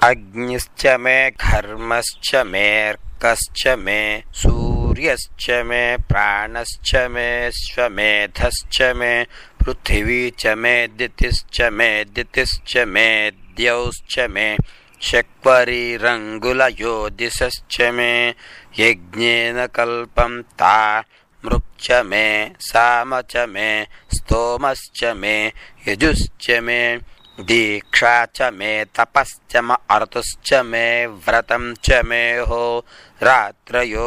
अग्निश्च मे घर्मश्च मेऽर्कश्च मे सूर्यश्च मे प्राणश्च मे श्वमेधश्च मे पृथिवी च मे दितिश्च मे दितिश्च मे द्यौश्च मे शक्वरीरङ्गुलयोदिशश्च मे यज्ञेन कल्पं ता मृक्च मे साम च मे स्तोमश्च मे यजुश्च मे दीक्षा च मे तपश्च म अर्तुश्च मे व्रतं च मे हो रात्रयोर्वृष्ट्या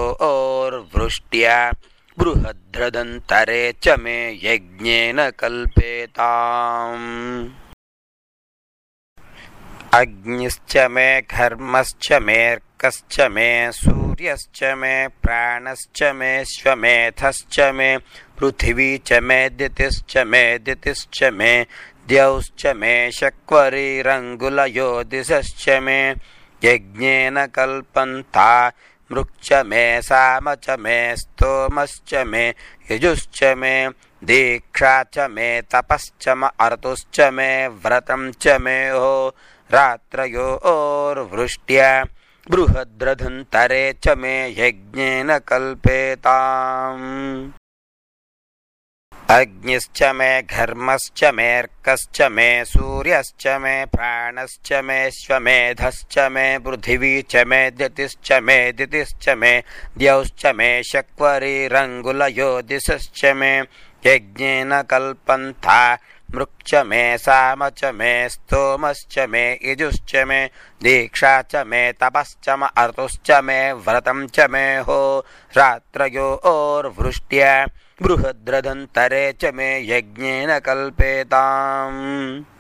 बृहद्रदन्तरे च मे यज्ञेन कल्पेताम्। अग्निश्च मे घर्मश्च मेऽर्कश्च मे सूर्यश्च मे प्राणश्च मे श्वमेधश्च मे पृथिवी च मे दितिश्च मे दितिश्च मे द्यौश्च मे शक्वरीरङ्गुलयोदिशश्च मे यज्ञेन कल्पन्ता मृक्च मे साम च मे स्तोमश्च मे यजुश्च मे दीक्षा च मे तपश्च म अर्तुश्च मे व्रतं च मे हो रात्रयोर्वृष्ट्या बृहद्रदन्तरे च मे यज्ञेन कल्पेताम्। अग्निश्च मे घर्मश्च मेऽर्कश्च मे सूर्यश्च मे प्राणश्च मे श्वमेधश्च मे पृथिवी च मे दितिश्च मे दितिश्च मे द्यौश्च मे शक्वरीरङ्गुलयोदिशश्च मे यज्ञेन कल्पन्ता मृक्च मे साम च मे स्तोमश्च मे यजुश्च मे दीक्षा च मे तपश्च म अर्तुश्च मे व्रतं च मे हो रात्रयोर्वृष्ट्या बृहद्रदन्तरे च मे यज्ञेन कल्पेताम्।